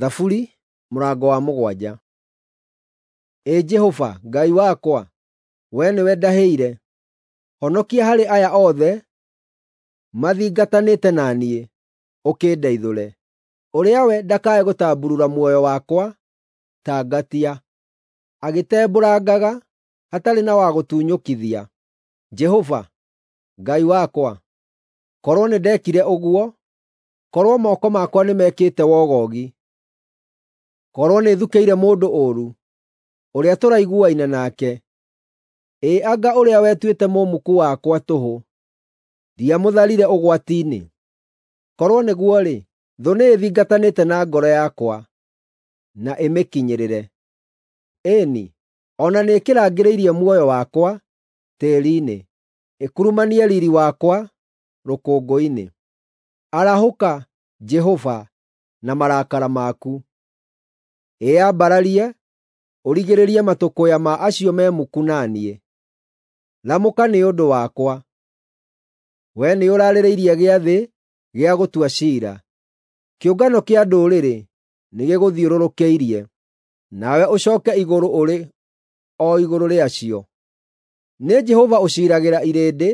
Thaburi mũrango wa 7. Ĩ Jehova, Ngai wakwa, wee nĩwe ndahĩire; honokia harĩ aya othe mathingatanĩte na niĩ, ũkĩndeithũre. Ũrĩa we ndakae gũtambuurura muoyo wakwa ta ngatia, agĩtembũrangaga hatarĩ na wa gũtunyũkithia. Jehova, Ngai wakwa, korwo nĩndekire ũguo, korwo moko makwa nĩmekĩte wogogi. Korwo nĩthukĩire mũndũ ũũru, ũrĩa tũraiguaine nake, ĩ anga ũrĩa wetuĩte mũmuku wakwa tũhũ, ndiamũtharire ũgwati-inĩ! Korwo nĩguo-rĩ, thũ nĩĩthingatanĩte na ngoro yakwa, na ĩmĩkinyĩrĩre. Ĩĩ-ni, o na nĩĩkĩrangĩrĩirie muoyo wakwa tĩĩri-inĩ, ĩkurumanie riiri wakwa rũkũngũ-inĩ. Arahũka, Jehova, na marakara maku; ĩyambararie, ũrigĩrĩrie matũkũya ma acio me muku na niĩ. Ramũka nĩ ũndũ wakwa. Wee nĩũraarĩrĩirie gĩathĩ gĩa gũtua ciira; kĩũngano kĩa ndũrĩrĩ nĩgĩgũthiũrũrũkĩirie, nawe ũcooke igũrũ ũrĩ o igũrũ rĩacio. Nĩ Jehova ũciiragĩra irĩndĩ,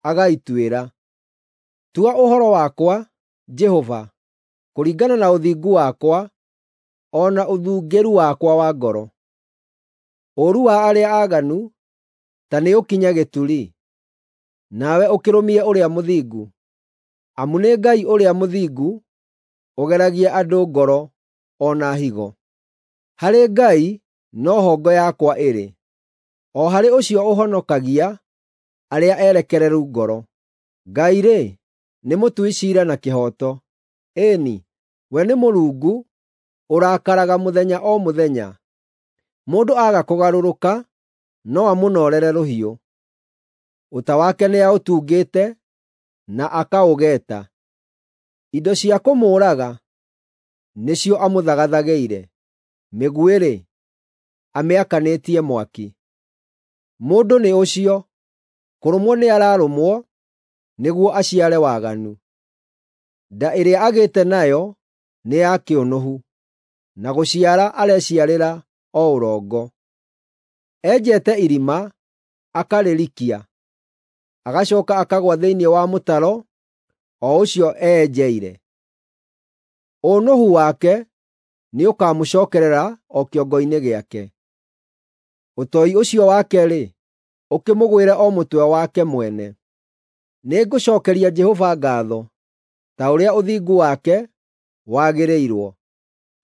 agaituĩra. Tua ũhoro wakwa, Jehova, kũringana na ũthingu wakwa o na ũthungĩru wakwa wa ngoro. Ũũru wa arĩa aaganu ta nĩũkinye gĩturi, nawe ũkĩrũmie ũrĩa mũthingu, amu nĩ Ngai ũrĩa mũthingu ũgeragia andũ ngoro o na higo. Harĩ Ngai no ho ngo yakwa ĩrĩ, o harĩ ũcio ũhonokagia arĩa erekereru ngoro. Ngai-rĩ, nĩ mũtui ciira na kĩhooto; ĩĩ-ni, we nĩ Mũrungu ũrakaraga mũthenya o mũthenya. Mũndũ aaga kũgarũrũka, no amũnoorere rũhiũ. Ũta wake nĩaũtungĩte na akaũgeeta. Indo cia kũmũũraga nĩcio amũthagathagĩire; mĩguĩ-rĩ, amĩakanĩtie mwaki. Mũndũ nĩ ũcio, kũrũmwo nĩararũmwo nĩguo aciare waganu. Nda ĩrĩa agĩte nayo nĩ ya kĩũnũhu, na gũciara areciarĩra o ũrongo. Enjete irima, akarĩrikia, agacooka akagũa thĩinĩ wa mũtaro o ũcio eyenjeire. Ũũnũhu wake nĩũkamũcookerera o kĩongo-inĩ gĩake; ũtoi ũcio wake-rĩ, ũkĩmũgwĩre o mũtwe wake mwene. Nĩngũcookeria Jehova ngaatho ta ũrĩa ũthingu wake wagĩrĩirwo;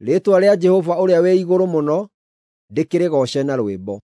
rĩĩtwa rĩa Jehova Ũrĩa-wĩ-Igũrũ-Mũno ndĩkĩrĩgooce na rwĩmbo.